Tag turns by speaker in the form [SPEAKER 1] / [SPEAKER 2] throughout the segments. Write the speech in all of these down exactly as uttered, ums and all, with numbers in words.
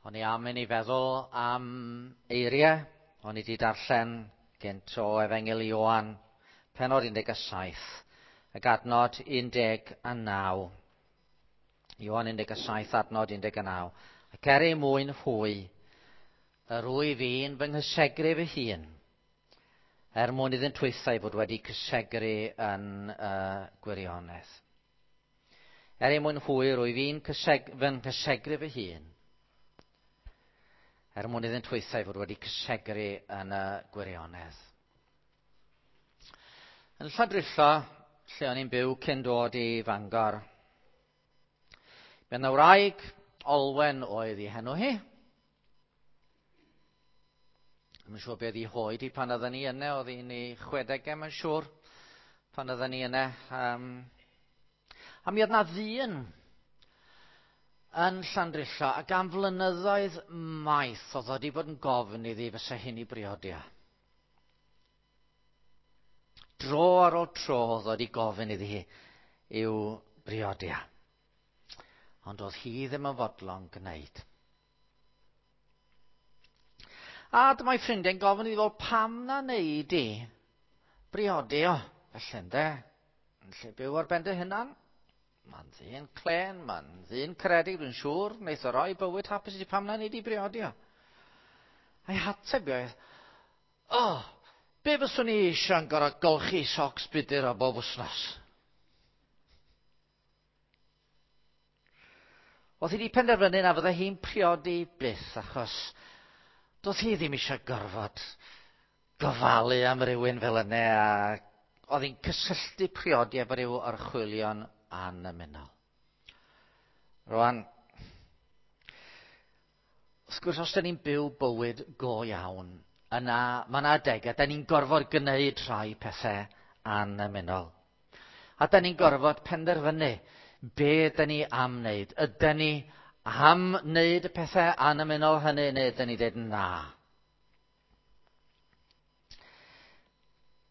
[SPEAKER 1] O'n i am i ni feddwl am eiriau. O'n i wedi darllen gynt o Efengyl Ioan, pennod un deg saith, ac adnod un deg naw. Ioan un deg saith, adnod un deg naw. Ac er ei mwyn hwy, yr wyf i'n fy nghysegru fy hun, er mwyn iddynt hwythau fod wedi cysegru yn uh, gwirionedd. Er ei mwyn hwy, rwyf i'n cyseg, fy nghysegru fy hun, er mwyn iddynt hwythau fod wedi cysegru yn y gwirionedd. Yn Llandrillo, lle o'n i'n byw cyn dod i Fangor, mi oedd wraig Olwen oedd ei henw hi. Dwi'n siŵr beth i hoed hi pan oedden ni yna, oedd hi'n ei chwedegau, mae'n siŵr, pan oedden ni yna. Um, a mi oedd na ddyn yn Llandrillo, ac am flynyddoedd maith oedd wedi bod yn gofyn iddi fysa hyn i briodi. Dro ar ôl tro oedd wedi gofyn iddi hi i'w briodi. Ond oedd hi ddim yn fodlon gwneud. A dyma'i ffrindiau'n gofyn iddi, fel, pam na wneud i briodi o? Felly ynde, yn lle byw ar ben dy hunan. Mae'n ddyn clen, mae'n ddyn caredig, dwi'n siŵr, wneith o roi bywyd hapus i ti, pam na wneud i briodi o? A'i hateb oedd, o, oh, be fyswn i eisiau'n gorfod golchi socs budur o bob wythnos? Oedd hi wedi penderfynu na fydde hi'n priodi byth, achos doedd hi ddim eisiau gorfod gofalu am rywun fel yna, a oedd hi'n cysylltu priodi efo ryw orchwylion annymunol. Rwan, wrth gwrs, os da ni'n byw bywyd go iawn, yna mae yna adegau, da ni'n gorfod gwneud rhai pethau annymunol. A da ni'n gorfod penderfynu be da ni am wneud. Ydyn ni am wneud y pethau annymunol hynny, neu ydyn ni dweud na?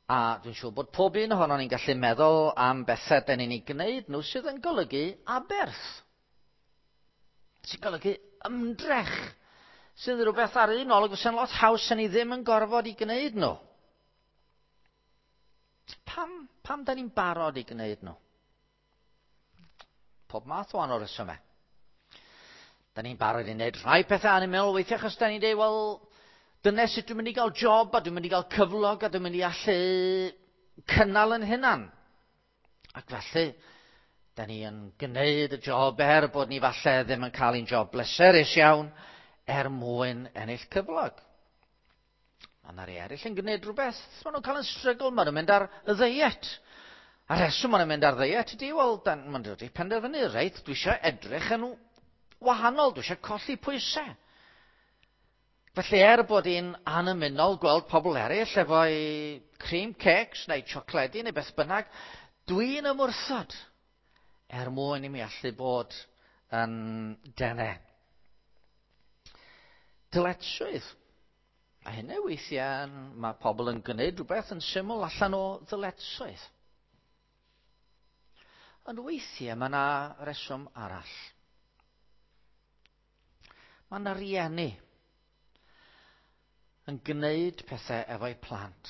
[SPEAKER 1] A dwi'n siŵr bod pob un ohonon ni'n gallu meddwl am bethau da ni'n ei gwneud nhw sydd yn golygu aberth. Sy'n golygu ymdrech. Sydd yn rhywbeth ar un olwg fysa'n lot haws yn ni ddim yn gorfod i gwneud nhw. Pam, pam da ni'n barod i gwneud nhw? Pob math o wahanol resymau. Da ni'n barod i wneud rhai pethau annymunol weithiau achos da ni'n dweud, wel, dyna sut dwi'n mynd i gael job, a dwi'n mynd i gael cyflog, a dwi'n mynd i allu cynnal yn hunan. Ac felly, da ni yn gwneud y job er bod ni falle ddim yn cael un job bleserus iawn, er mwyn ennill cyflog. Mae yna rhai eraill yn gwneud rhywbeth, maen nhw'n cael yn strygl, maen nhw'n mynd ar y ddiet. A rheswm maen nhw'n mynd ar ddiet ydy, wel, maen nhw wedi penderfynu, reit, dwi eisiau edrych yn wahanol, dwi eisiau colli pwysau. Felly er bod hi'n annymunol gweld pobl eraill efo'i cream cakes neu siocledi neu beth bynnag, dwi'n ymwrthod er mwyn i mi allu bod yn dene. Dyletswydd. A hynny weithiau mae pobl yn gwneud rhywbeth yn syml allan o ddyletswydd. Ond weithiau mae yna reswm arall. Mae yna rieni yn gwneud pethau efo'u plant.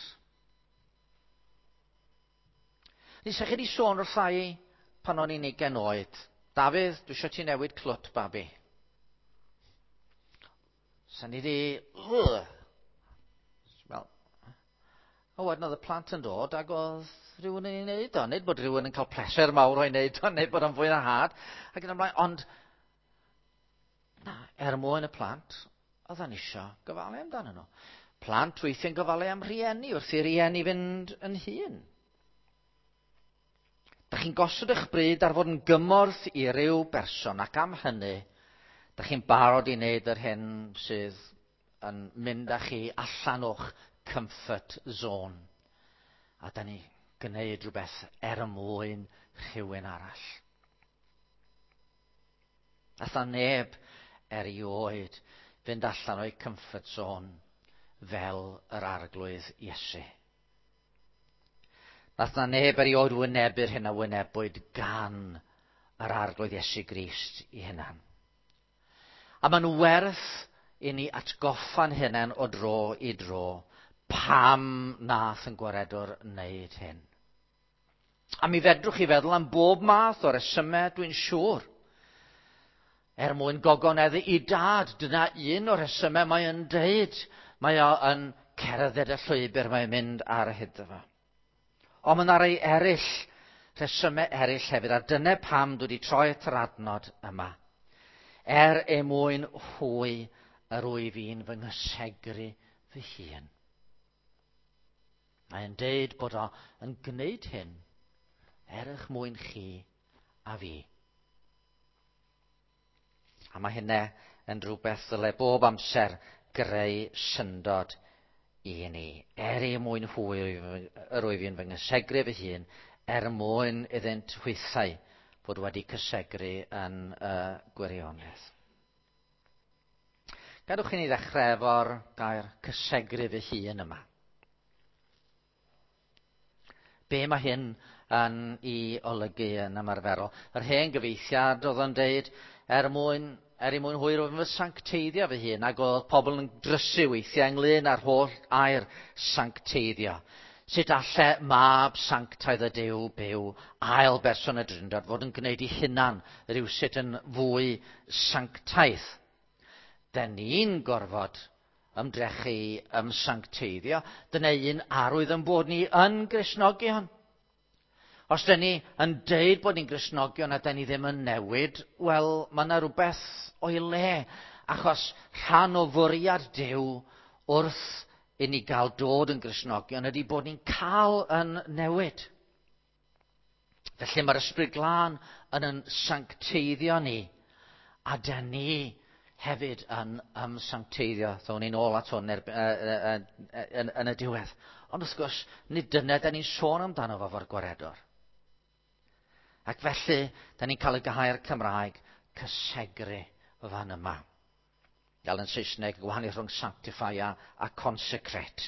[SPEAKER 1] Nes i chi wedi sôn wrtha i pan o'n i'n ugain oed. Dafydd, dwi eisiau ti newid clwt, babi. Sa'n ni di... Wel, a wedyn oedd y plant yn dod ac oedd rhywun yn ei wneud o. Nid bod rhywun yn cael pleser mawr o'i wneud o, nid bod o'n fwy na had. Ac yn ymlaen, ond na, er mwyn y plant, oedden isio gofalu amdano nhw. Plant weithiau'n gofalu am rhieni wrth i rieni fynd yn hŷn. Da chi'n gosod eich bryd ar fod yn gymorth i ryw berson, ac am hynny, da chi'n barod i wneud yr hyn sydd yn mynd â chi allan o'ch comfort zone. A da ni gwneud rhywbeth er mwyn rhywun arall. Nath neb erioed fynd allan o'i comfort zone fel yr Arglwydd Iesu. Nath na neb erioed wynebu'r hyn a wynebwyd gan yr Arglwydd Iesu Grist i hunan. A mae'n werth i ni atgoffa'n hunain o dro i dro pam nath yn gwaredwr wneud hyn. A mi fedrwch chi feddwl am bob math o resymau, dwi'n siŵr. Er mwyn gogoneddu i dad, dyna un o'r rhesymau mae yn deud. Mae o yn cerdded y llwybr mae'n mynd ar hyd fo. Ond mae yna rai eraill, rhesymau eraill hefyd, a dyna pam dwi wedi troi at yr adnod yma. Er e mwyn hwy yr wyf i'n fy nghysegru fy hun. Mae'n deud bod o yn gwneud hyn er eich mwyn chi a fi. A mae hynna yn rhywbeth ddyle bob amser greu syndod i ni. Er ei mwyn hwy yr wyf i'n fy nghysegru fy hun, er mwyn iddynt hwythau fod wedi cysegru yn y gwirionedd. Gadwch i ni ddechrau efo'r gair cysegru fy hun yma. Be mae hyn yn ei olygu yn ymarferol? Yr hen gyfeithiad oedd yn deud, er mwyn, er i mwyn hwyr oedd fy sancteiddio fy hun, ac oedd pobl yn drysu weithiau ynglyn â'r holl air sancteiddio. Sut alle mab sanctaidd y Duw byw, ail berson y Drindod, fod yn gwneud ei hunan rhywsut yn fwy sanctaidd? Den ni'n gorfod ymdrechu ymsancteiddio. Dyna un arwydd yn bod ni yn Gristnogion. Os dyn ni yn deud bod ni'n Gristnogion a dyn ni ddim yn newid, wel, mae yna rhywbeth o'i le. Achos rhan o fwriad Duw wrth i ni gael dod yn Gristnogion ydy bod ni'n cael yn newid. Felly mae'r Ysbryd Glân yn yn sancteiddio ni, a dyn ni hefyd yn ymsancteiddio. Ddown ni'n ôl at hwn er, yn, yn, yn y diwedd. Ond wrth gwrs, nid dyna da ni'n sôn amdano fo fo'r gwaredwr. Ac felly, da ni'n cael y gair Cymraeg cysegru fan yma. Gael yn Saesneg, gwahaniaeth rhwng sanctify a, a consecrate.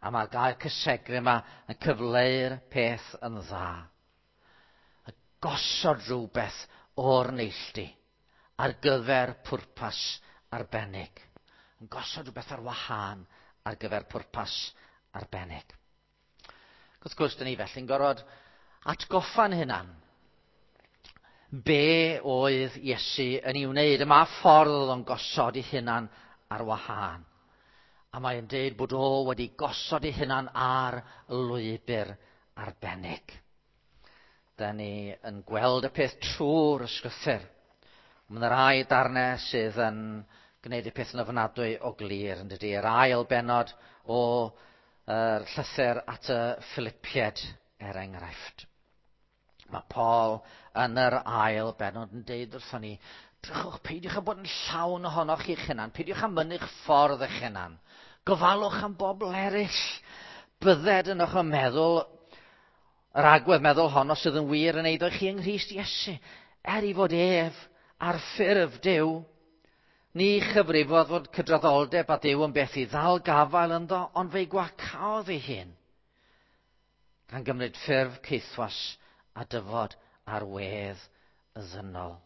[SPEAKER 1] A mae'r gair cysegru yma yn cyfleu'r peth yn dda. A gosod rhywbeth o'r neilltu ar gyfer pwrpas arbennig. Yn gosod rhywbeth ar wahân ar gyfer pwrpas arbennig. Wrth gwrs, dyn ni felly'n gorfod atgoffa'n hunan. Be oedd Iesu yn ei wneud? Y ma ffordd oedd o'n gosod ei hunan ar wahân. A mae'n deud bod o wedi gosod ei hunan ar lwybr arbennig. Da ni yn gweld y peth trwy'r ysgrythur. Mae yna rai darnau sydd yn gwneud y peth yn ofnadwy o glir, yn dydy. Yr ail bennod o er, llythyr at y Philippiaid, er enghraifft. Mae Paul yn yr ail bennod yn deud wrthon ni, drychwch, peidiwch â bod yn llawn ohonoch chi'ch hunan, peidiwch â mynnu'ch ffordd eich hunan. Gofalwch am bobl eraill. Bydded yn eich meddwl, yr agwedd meddwl honno sydd yn wir yn eiddo chi yng Nghrist Iesu, er i fod ef ar ffurf Duw, ni chyfrifodd fod cydraddoldeb a Duw yn beth i ddal gafael ynddo, ond fe'i gwacaodd ei hun, gan gymryd ffurf caethwas a dyfod ar wedd y ddynol.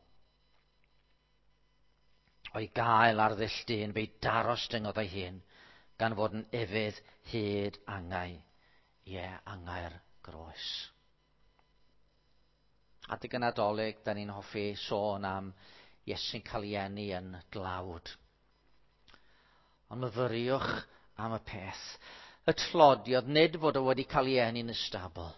[SPEAKER 1] O'i gael ar ddull dyn, fe'i darostyngodd ei hun, gan fod yn ufudd hyd angau, ie, angau'r groes. Adeg y Nadolig, da ni'n hoffi sôn am Iesu'n cael ei eni yn dlawd. Ond myfyriwch am y peth. Y tlodi oedd nid fod o wedi cael ei eni yn y stabl.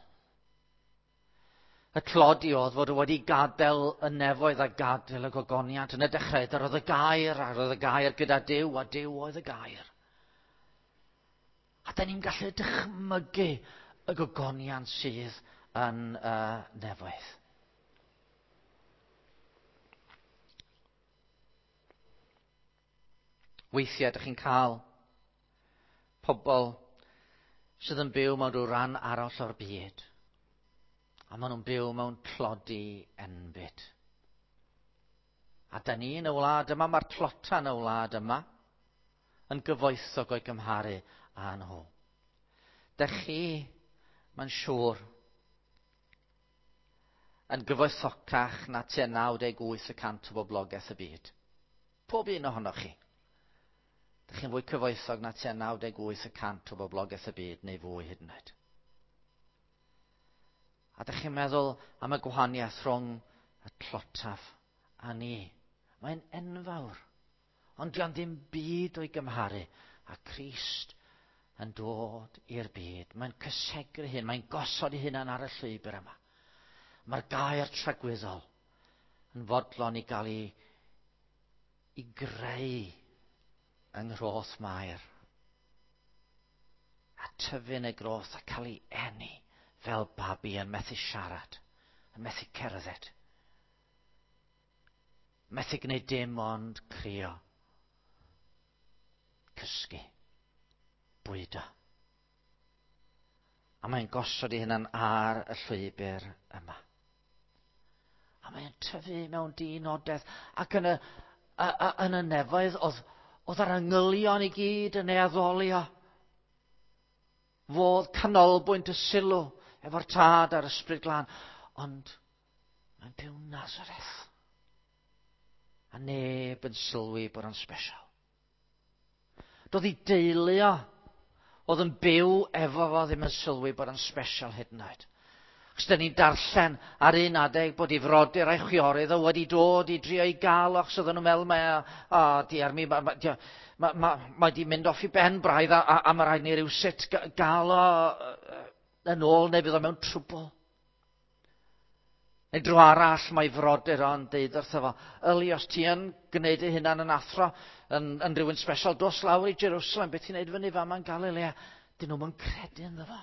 [SPEAKER 1] Y tlodi oedd fod o wedi gadael y nefoedd a gadael y gogoniant. Yn y dechrau, yr oedd y gair, ar oedd y gair gyda Duw, a Duw oedd y gair. A da ni'n gallu dychmygu y gogoniant sydd yn y nefoedd. Weithiau, ydych chi'n cael pobl sydd yn byw mewn rhyw ran arall o'r byd. A maen nhw'n byw mewn tlodi enbyd. A da ni yn y wlad yma, mae'r tlota yn y wlad yma, yn gyfoethog o'i gymharu â nhw. Dych chi, mae'n siŵr, yn gyfoethocach na tua naw deg wyth y cant o boblogaeth y byd. Pob un ohonoch chi. Dych chi'n fwy cyfoethog na tua naw deg wyth y cant o boblogaeth y byd neu fwy hyd yn oed. A dych chi'n meddwl am y gwahaniaeth rhwng y tlotaf a ni. Mae'n enfawr. Ond dio'n ddim byd o'i gymharu a Crist yn dod i'r byd. Mae'n cysegru hyn, mae'n gosod ei hunan ar y llwybr yma. Mae'r gair tragwyddol yn fodlon i gael ei, ei greu yng nghroth Mair. A tyfu yn y groth a cael ei eni fel babi yn methu siarad, yn methu cerdded. Methu gwneud dim ond crio, cysgu, bwydo. A mae'n gosod ei hunan ar y llwybr yma. A mae'n tyfu mewn dinodedd. Ac yn y, a, a, yn y nefoedd, oedd, oedd yr angylion i gyd yn ei addoli o. Fodd canolbwynt y sylw efo'r Tad a'r Ysbryd Glân. Ond mae'n byw Nazareth. A neb yn sylwi bod o'n special. Doedd ei deulu o, oedd yn byw efo fo, ddim yn sylwi bod o'n special hyd yn oed. Achos dyn ni'n darllen ar un adeg bod ei frodyr a'i chwiorydd o wedi dod i drio ei gael, achos oedden nhw'n meddwl, mae, o, diar mi, mae, mae, mae, mae, mae di mynd off i ben braidd a, a, a mae rhaid ni rywsut gael o yn ôl neu fydd o mewn trwbl. Neu dro arall mae frodyr o'n deud wrtho fo, yli, os ti yn gwneud ei hunan yn athro, yn, yn rhywun special, dos lawr i Jerusalem, beth ti'n neud fyny fama yn Galilea? Dyn nhw'm yn credu ynddo fo.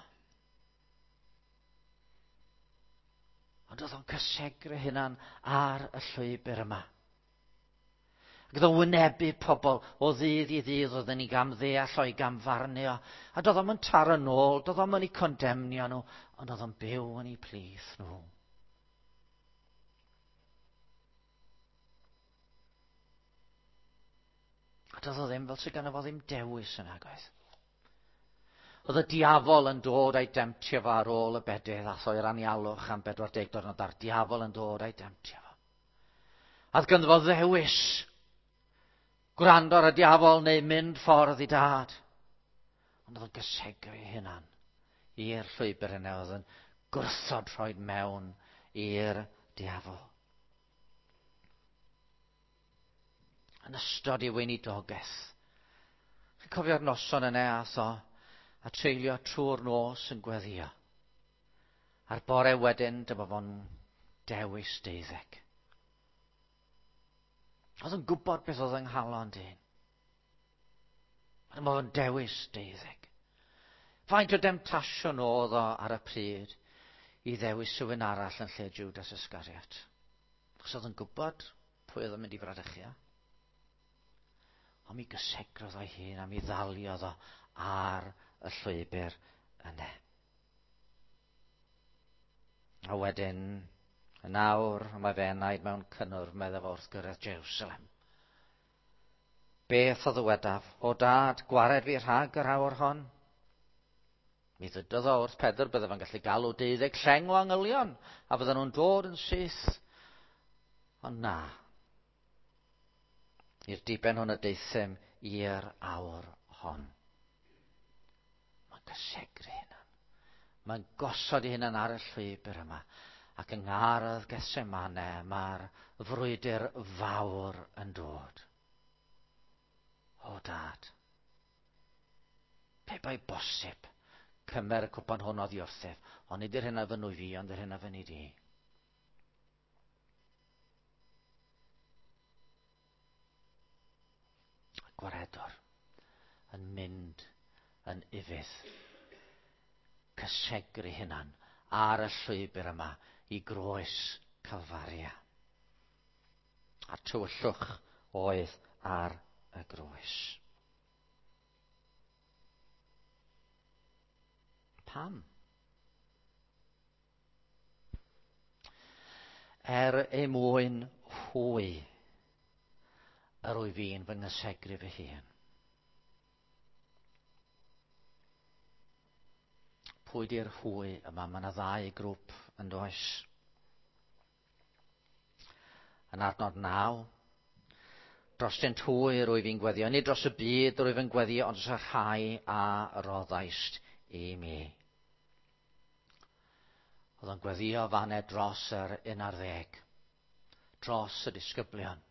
[SPEAKER 1] Ond oedd o'n cysegru hunan ar y llwybr yma. Ac oedd o'n wynebu pobl o ddydd i ddydd, oedd yn ei gamddeall o'i gamfarnu o. A doedd o'm yn taro nôl, doedd o'm yn eu condemnio nhw, ond oedd o'n byw yn eu plith nhw. A doedd o ddim fel sydd ganddo fo ddim dewis yn agoedd. Oedd y diafol yn dod a'i demtio fo ar ôl y bedydd, ath o i'r anialwch am bedwar deg diwrnod, a'r diafol yn dod a'i demtio fo. A oedd ganddo fo ddewis gwrando ar y diafol neu mynd ffordd i dad. Ond oedd yn gysegru ei hunan i'r llwybr yna, oedd yn gwrthod rhoi mewn i'r diafol. Yn ystod ei weinidogaeth. Chi'n cofio'r noson yna ath o a treulio trwy'r nos yn gweddïo. A'r bore wedyn, dyma fo'n dewis deuddeg. Oedd yn gwybod beth oedd yng nghalon dyn. Dyma fo'n dewis deuddeg. Faint o demtasiwn oedd o ar y pryd i ddewis rhywun arall yn lle Judas Iscariot. Achos oedd yn gwybod pwy oedd yn mynd i fradychu o. Ond mi gysegrodd o'i hun a mi ddaliodd o ar y llwybr yna. A wedyn, yn awr, mae fe enaid mewn cynnwrf, meddai fo wrth gyrraedd Jerusalem. Beth o ddywedaf? O dad, gwared fi rhag yr awr hon? Mi ddydodd o wrth Pedr, bydde fo'n gallu galw deuddeg lleng o angylion, a fydden nhw'n dod yn syth. Ond na. I'r diben hwn y deuthum i'r awr hon. Mae'n cysegru hunan. Mae'n gosod ei hunan ar y llwybr yma. Ac yng ngardd Gethsemane mae'r frwydr fawr yn dod. O dad, pe bai bosib, cymer y cwpan hwn oddi wrthyf, ond nid yr hyn a fynnu fi, ond yr hyn a fynnu di. Y gwaredwr yn mynd yn ufudd, cysegru hunan ar y llwybr yma i groes Calfaria. A tywyllwch oedd ar y groes. Pam? Er ei mwyn hwy, yr wyf fi'n fy nghysegru fy hun. Pwy di'r hwy yma? Mae yna ddau grŵp yn does. Yn adnod naw, Drostynt hwy rwyf i'n gweddio, nid dros y byd rwyf yn gweddio, ond dros y rhai a roddaist i mi. Oedd o'n gweddio fanne dros yr un ar ddeg, dros y disgyblion.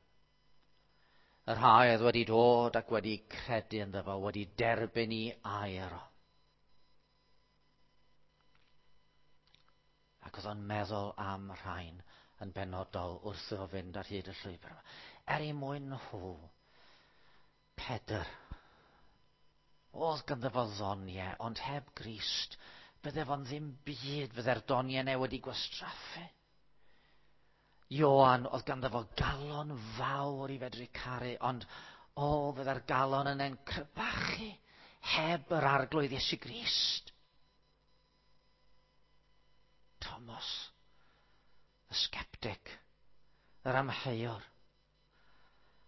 [SPEAKER 1] Y rhai oedd wedi dod ac wedi credu ynddo fo, wedi derbyn i air o. Ac oedd o'n meddwl am rhain yn benodol wrth iddo fynd ar hyd y llwybr yma. Er i mwyn nhw, Pedr, oedd ganddo fo ddoniau, ond heb Grist, bydde fo'n ddim byd, fydde'r doniau yna wedi gwastraffu. Ioan, oedd ganddo fo galon fawr i fedru caru, ond o, fydde'r galon yna'n crybachu heb yr Arglwydd Iesu Grist. Thomas, y sceptic, yr amheuwr.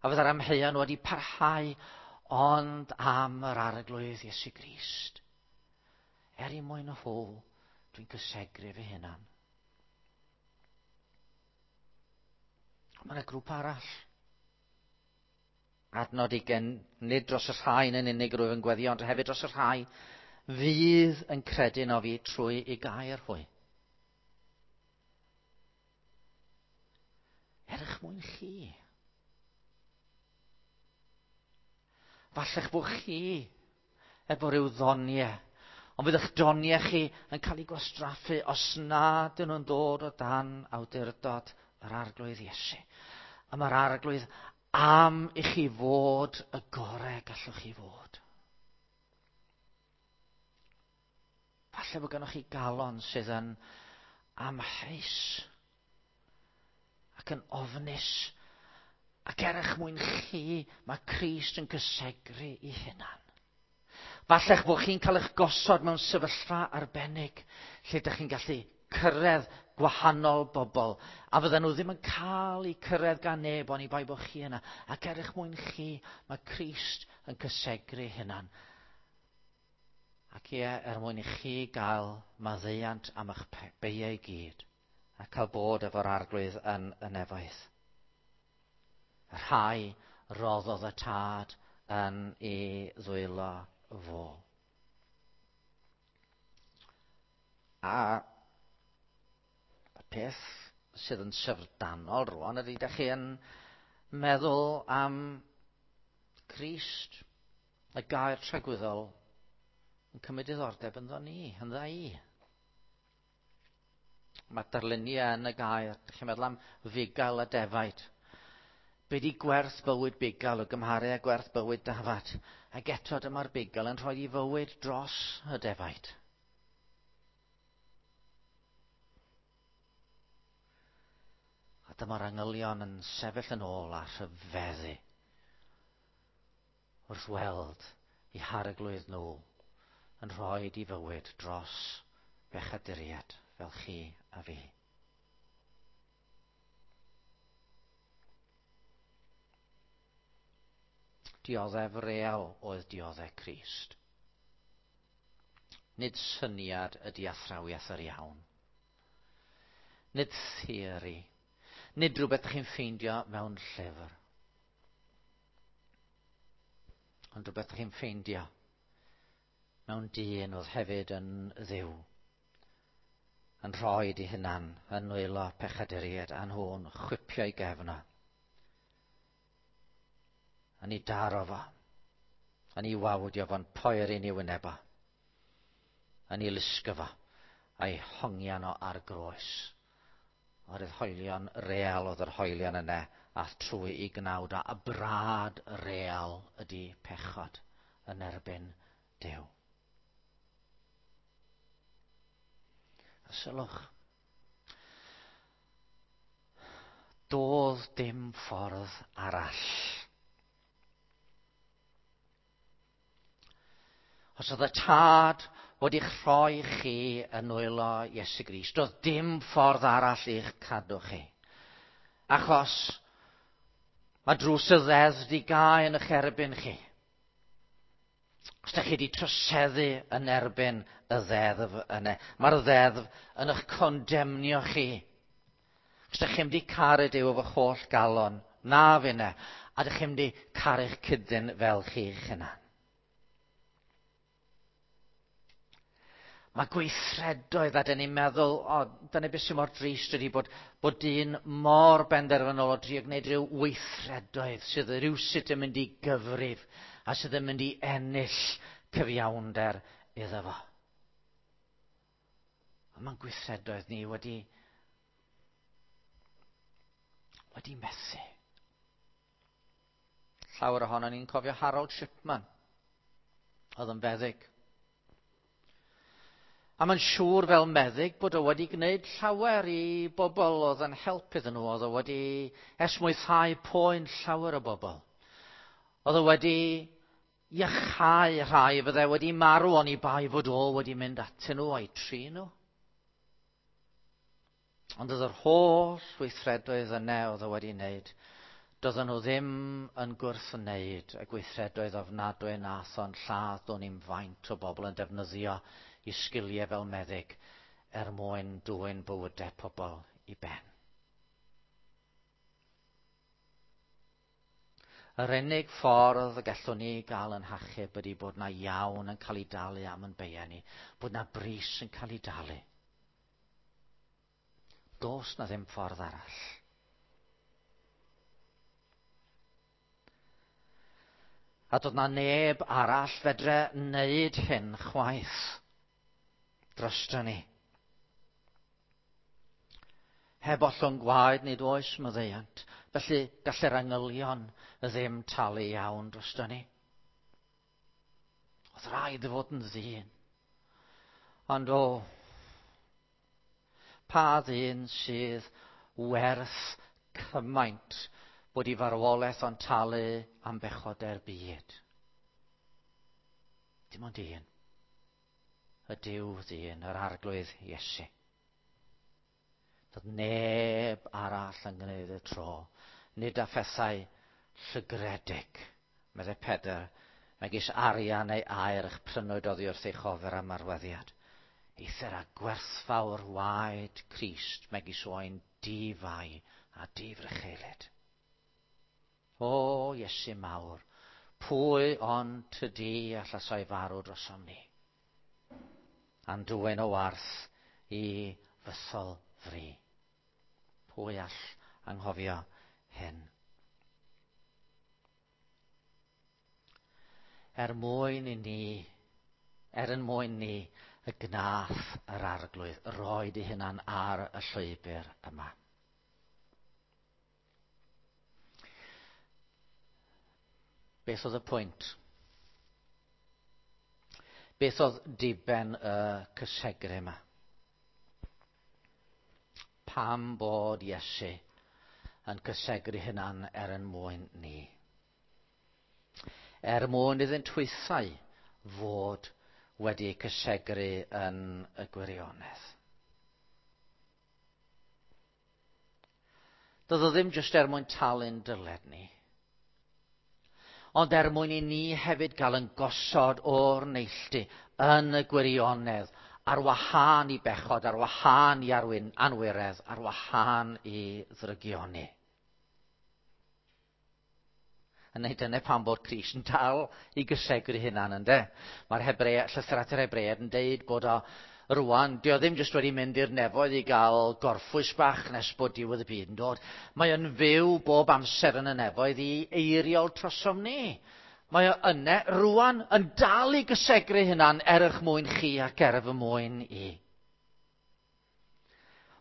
[SPEAKER 1] A fydde'r amheuon wedi parhau ond am yr Arglwydd Iesu Grist. Er i mwyn nhw, dwi'n cysegru fy hunan. Mae yna grŵp arall. Adnod ugain, nid dros y rhai yn unig rwyf yn gweddio, ond hefyd dros y rhai fydd yn credu yno fi trwy i gair hwy. Er eich mwyn chi. Falle'ch bod chi efo rhyw ddoniau, ond fydd eich doniau chi yn cael eu gwastraffu os nad ydyn nhw'n dod o dan awdurdod yr Arglwydd Iesu. A mae'r Arglwydd am i chi fod y gorau gallwch chi fod. Falle bod gennych chi galon sydd yn amheus ac yn ofnus, ac er eich mwyn chi, mae Crist yn cysegru i hunan. Falle'ch bod chi'n cael eich gosod mewn sefyllfa arbennig, lle ydych chi'n gallu cyrraedd gwahanol bobl, a fydden nhw ddim yn cael eu cyrraedd gan neb oni bai bod chi yna. Ac er eich mwyn chi, mae Crist yn cysegru hunan. Ac ie, er mwyn i chi gael maddeuant am eich beiau i gyd, a cael bod efo'r Arglwydd yn y nefoedd. Y rhai roddodd y Tad yn ei ddwylo fo. A y peth sydd yn syfrdanol rwan ydy, da chi yn meddwl am Crist, y gair tragwyddol, yn cymryd diddordeb ynddo ni, ynddo i. Mae darluniau yn y gair, da chi'n meddwl am fugail a defaid. Be di gwerth bywyd bugail o gymharu â gwerth bywyd dafad? Ac eto dyma'r bugail yn rhoi i fywyd dros y defaid. A dyma'r angylion yn sefyll yn ôl a rhyfeddu wrth weld i harglwydd nhw yn rhoi i fywyd dros bechaduriaid fel chi a fi. Dioddef real oedd dioddef Crist. Nid syniad ydy athrawiaeth yr iawn. Nid theori. Nid rhywbeth chi'n ffeindio mewn llyfr. Ond rhywbeth chi'n ffeindio mewn dyn oedd hefyd yn Dduw, yn rhoi di hunan yn nwylo pechaduriaid a nhw'n chwipio i gefn o. Yn ei daro fo, yn ei wawdio fo'n poeri'n ei wyneb o, yn ei lusgo fo, a'i hongian o ar groes. Oherwydd hoelion real oedd yr hoelion yna, a trwy i gnawd o, a brad real ydy pechod yn erbyn Duw. A sylwch, doedd dim ffordd arall. Os oedd y Tad wedi'ch rhoi chi yn nwylo Iesu Grist, doedd dim ffordd arall i'ch cadw chi. Achos mae drws y ddeddf di gau yn eich erbyn chi. Os ydych chi wedi troseddu yn erbyn y ddeddf yna, mae'r ddeddf yn eich condemnio chi. Os ydych chi'n wedi caru Duw efo'ch holl galon, na finne. A dych chi'n mynd i caru'ch cydyn fel chi'ch hunan. Mae gweithredoedd, a dyn ni'n meddwl, o, dyna beth sy'n mor drist ydy bod, bod dyn mor benderfynol o drio gwneud rhyw weithredoedd sydd rywsut yn mynd i gyfrif a sydd yn mynd i ennill cyfiawnder iddo fo. Ond mae'n gweithredoedd ni wedi, wedi methu. Llawer ohono ni'n cofio Harold Shipman, oedd yn feddyg. A mae'n siŵr fel meddyg bod o wedi gwneud llawer i bobl oedd yn help iddyn nhw. Oedd o wedi esmwythau poen llawer o bobl. Oedd o wedi iachau rhai fydde wedi marw oni bai fod o wedi mynd atyn nhw a'i trin nhw. Ond oedd yr holl weithredoedd yna oedd o wedi wneud, doedden nhw ddim yn gwrthwneud y gweithredoedd ofnadwy nath o'n lladd do'n i'm faint o bobl yn defnyddio i sgiliau fel meddyg er mwyn dwyn bywydau pobl i ben. Yr unig ffordd y gallwn ni gael yn hachub ydy bod na iawn yn cael ei dalu am yn beiau ni, bod na bris yn cael ei dalu. Does na ddim ffordd arall. A doedd na neb arall fedre wneud hyn chwaith drosto ni. Heb ollwng gwaed nid oes maddeuant, felly gall yr angylion ddim talu iawn drosto ni. Oedd rhaid fod yn ddyn. Ond o, pa ddyn sydd werth cymaint bod i farwolaeth o'n talu am bechodau'r byd? Dim ond un. Y Duw ddyn, yr Arglwydd Iesu. Doedd neb arall yn gwneud y tro, nid â phethau llygredig, meddai Pedr, megis arian neu aur eich prynwyd oddi wrth eich ofer am arweddiad. Eithr â gwerthfawr waed Crist, megis oen difai a difrycheulyd. O, Iesu mawr, pwy ond tydi allasai farw drosom ni? A'n dwyn o warth i fythol fri. Pwy all anghofio hyn? Er mwyn i ni, er yn mwyn ni, y gnath yr Arglwydd roed ei hunan ar y llwybr yma. Beth oedd y pwynt? Beth oedd diben y cysegru yma? Pam bod Iesu yn cysegru hunan er yn mwyn ni? Er mwyn iddynt hwythau fod wedi cysegru yn y gwirionedd. Doedd o ddim jyst er mwyn talu'n dyled ni, ond er mwyn i ni hefyd gael yn gosod o'r neilltu yn y gwirionedd, ar wahân i bechod, ar wahân i arwyn, anwiredd, ar wahân i ddrygioni. A neu dyna pam bod Crist yn dal i gysegru hunan, ynde? Mae'r Hebrea, llythyr at yr Hebreaid yn deud bod o rwan, dio ddim jyst wedi mynd i'r nefoedd i gael gorffwys bach nes bod diwedd y byd yn dod. Mae o'n fyw bob amser yn y nefoedd i eiriol trosom ni. Mae o yne rwan yn dal i gysegru hunan er eich mwyn chi ac er fy mwyn i.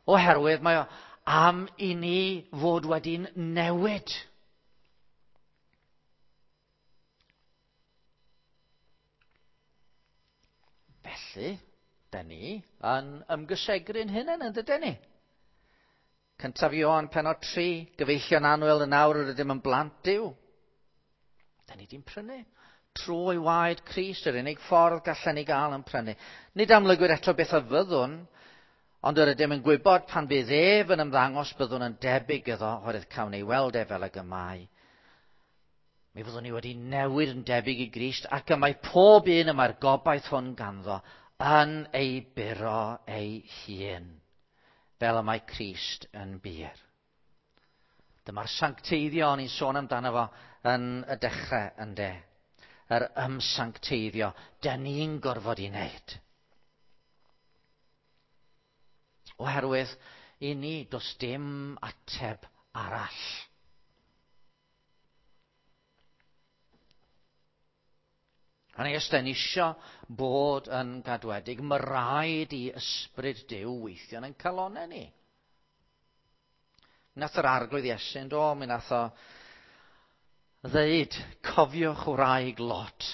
[SPEAKER 1] Oherwydd mae o am i ni fod wedi'n newid. Felly, da ni yn ymgysegru'n hunain, yn dydyn ni? Cyntaf Ioan pennod tri, gyfeillion annwyl yn awr yr ydym yn blant Duw. Da ni di'n prynu. Trwy waed Crist, yr unig ffordd gallen ni gael yn prynu. Nid amlygwyd eto beth a fyddwn, ond yr ydym yn gwybod pan bydd ef yn ymddangos byddwn yn debyg iddo, oherwydd cawn ei weld e fel ag y mae. Mi fyddwn ni wedi newid yn debyg i Grist, ac y mae pob un y mae'r gobaith hwn ganddo yn ei buro ei hun, fel y mae Crist yn bur. Dyma'r sancteiddio o'n i'n sôn amdano fo yn y dechrau, ynde. Yr ymsancteiddio, dyn ni'n gorfod i wneud. Oherwydd i ni, does dim ateb arall. A ni os da ni isio bod yn gadwedig, mae rhaid i ysbryd Duw weithio yn ein calonnau ni. Nath yr Arglwydd Iesu, do, mi nath o ddeud, cofiwch wraig Lot.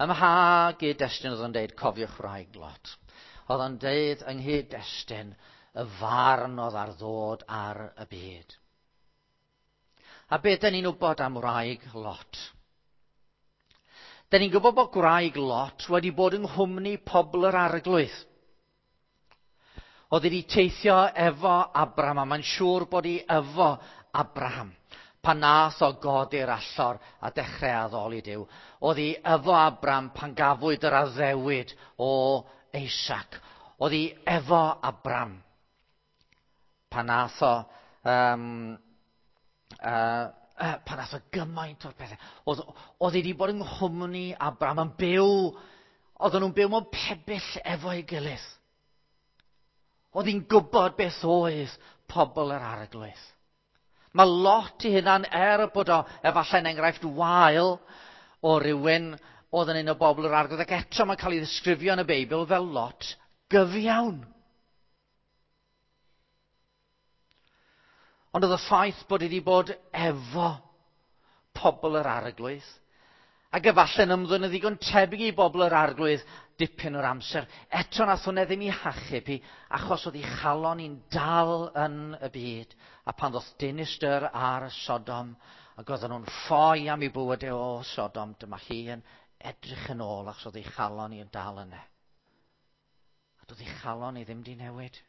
[SPEAKER 1] Ym mha gyd-destun oedd o'n deud, cofiwch wraig Lot? Oedd o'n deud yng nghyd-destun y farn oedd ar ddod ar y byd. A beth dyn ni'n wybod am wraig Lot? Dyn ni'n gwybod bod gwraig Lot wedi bod yng nghwmni pobl yr Arglwydd. Oedd wedi teithio efo Abraham, a mae'n siŵr bod hi efo Abraham. Pan nath o godi'r allor a dechrau addoli Duw. Oedd hi efo Abraham pan gafwyd yr addewid o Isaac. Oedd hi efo Abraham pan nath o... Um, uh, uh, pan nath o gymaint o'r pethau. Oedd, oedd hi wedi bod yng nghwmni Abraham yn byw, oedden nhw'n byw mewn pebyll efo'i gilydd. Oedd hi'n gwybod beth oedd pobl yr Arglwydd. Mae Lot i hunan, er bod o efallai'n enghraifft wael o rywun oedd yn un o bobl yr Arglwydd, ac eto mae'n cael ei ddisgrifio yn y Beibl fel Lot gyfiawn. Ond oedd y ffaith bod wedi bod efo pobl yr Arglwydd, ac efallai'n ymddwyn yn ddigon tebyg i bobl yr Arglwydd dipyn o'r amser, eto nath hwnna ddim i hachub hi, achos oedd ei chalon hi'n dal yn y byd, a pan ddoth dinistr ar Sodom, ac oedden nhw'n ffoi am ei bywydau o Sodom, dyma hi yn edrych yn ôl, achos oedd ei chalon hi'n dal yna. A doedd ei chalon hi ddim di newid.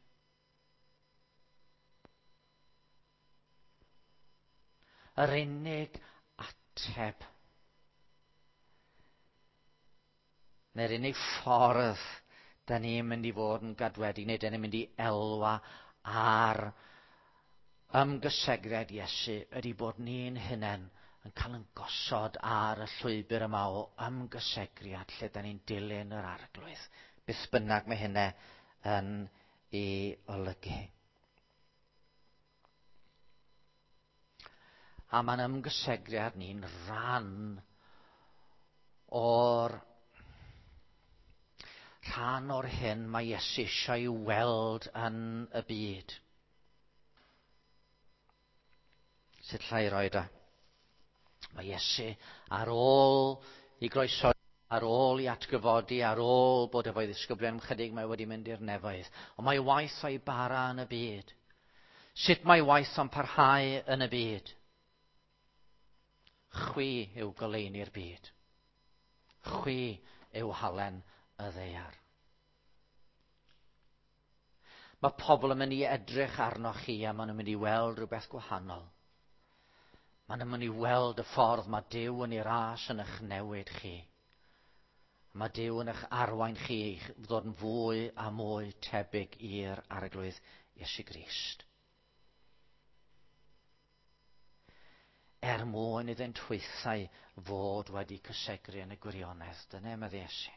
[SPEAKER 1] Yr unig ateb, neu'r unig ffordd da ni'n mynd i fod yn gadwedig, neu da ni'n mynd i elwa ar ymgysegriad Iesu, ydy bod ni'n hunain yn cael yn gosod ar y llwybr yma o ymgysegriad lle da ni'n dilyn yr Arglwydd. Beth bynnag mae hynna yn ei olygu. A mae'n ymgysegriad ni'n rhan o'r rhan o'r hyn mae Iesu eisiau ei weld yn y byd. Sut llai roed o? Mae Iesu ar ôl i groeso, ar ôl i atgyfodi, ar ôl bod efo'i ddisgyblion chydig, mae wedi mynd i'r nefoedd. Ond mae waith o'i bara yn y byd. Sut mae waith o'n parhau yn y byd? Chwi yw goleuni'r byd. Chwi yw halen y ddaear. Mae pobl yn mynd i edrych arnoch chi a maen nhw'n mynd i weld rhywbeth gwahanol. Maen nhw'n mynd i weld y ffordd mae Duw yn ei ras yn eich newid chi. Mae Duw yn eich arwain chi i ddod yn fwy a mwy tebyg i'r Arglwydd Iesu Grist. Er mwyn iddynt hwythau fod wedi cysegru yn y gwirionedd. Dyna medde Iesu.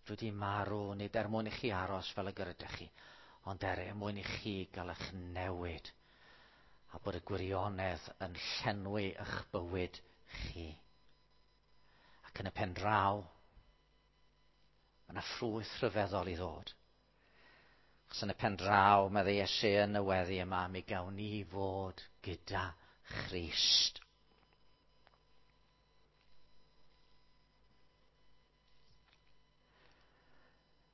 [SPEAKER 1] Dwi wedi marw, nid er mwyn i chi aros fel y gyrydych chi, ond er mwyn i chi gael eich newid a bod y gwirionedd yn llenwi eich bywyd chi. Ac yn y pen draw, mae yna ffrwyth rhyfeddol i ddod. Achos yn y pen draw, medde Iesu yn y weddi yma, mi gawn ni fod gyda Christ.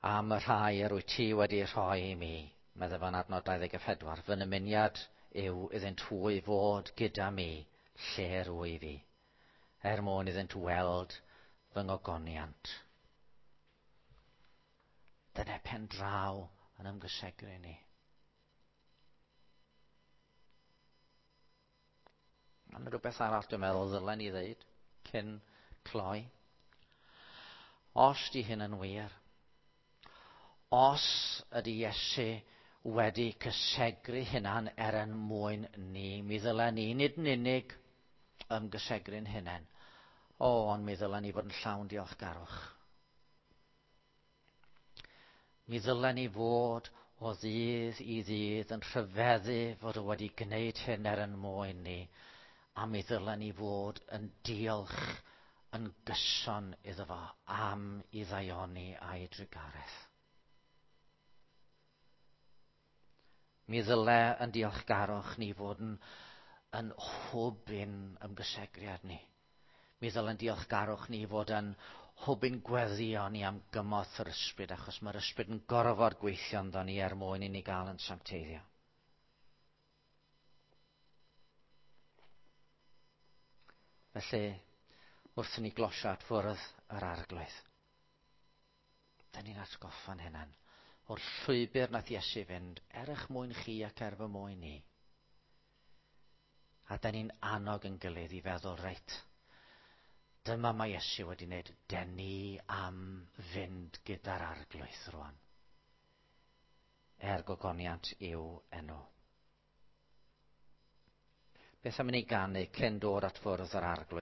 [SPEAKER 1] Am y rhai yr wyt ti wedi rhoi i mi, medde fo'n adnod dau ddeg a phedwar, fy nymuniad yw iddynt hwy fod gyda mi lle rwyf fi, er mwyn iddynt weld fy ngogoniant. Dyna pen draw yn ymgysegru ni. Mae yna rhywbeth arall dwi'n meddwl ddylen ni ddeud cyn cloi. Os di hyn yn wir, Os ydy Iesu wedi cysegru hunan er yn mwyn ni, mi ddylen ni nid yn unig ymgysegru'n hunain. O, ond mi ddylen ni fod yn llawn diolchgarwch. Mi ddylen ni fod o ddydd i ddydd yn rhyfeddu fod o wedi gwneud hyn er yn mwyn ni, a mi ddylen ni fod yn diolch yn gyson iddo fo am ei ddaioni a'i drugaredd. Mi ddyle yn diolchgarwch ni fod yn, yn hwb i'n ymgysegriad ni. Mi ddyle'n diolchgarwch ni fod yn hwb i'n gweddio ni am gymorth yr ysbryd, achos mae'r ysbryd yn gorfod gweithio ynddo ni er mwyn i ni gael yn sancteiddio. Felly, wrth i ni glosio at fwrdd yr Arglwydd, da ni'n atgoffa'n hunan o'r llwybr nath Iesu fynd er eich mwyn chi ac er fy mwyn ni. A da ni'n annog yn gilydd i feddwl, reit, dyma mae Iesu wedi wneud, den ni am fynd gyda'r Arglwydd rwan. Er gogoniant i'w enw. Beth am i ni ganu cyn dod at fwrdd yr Arglwydd?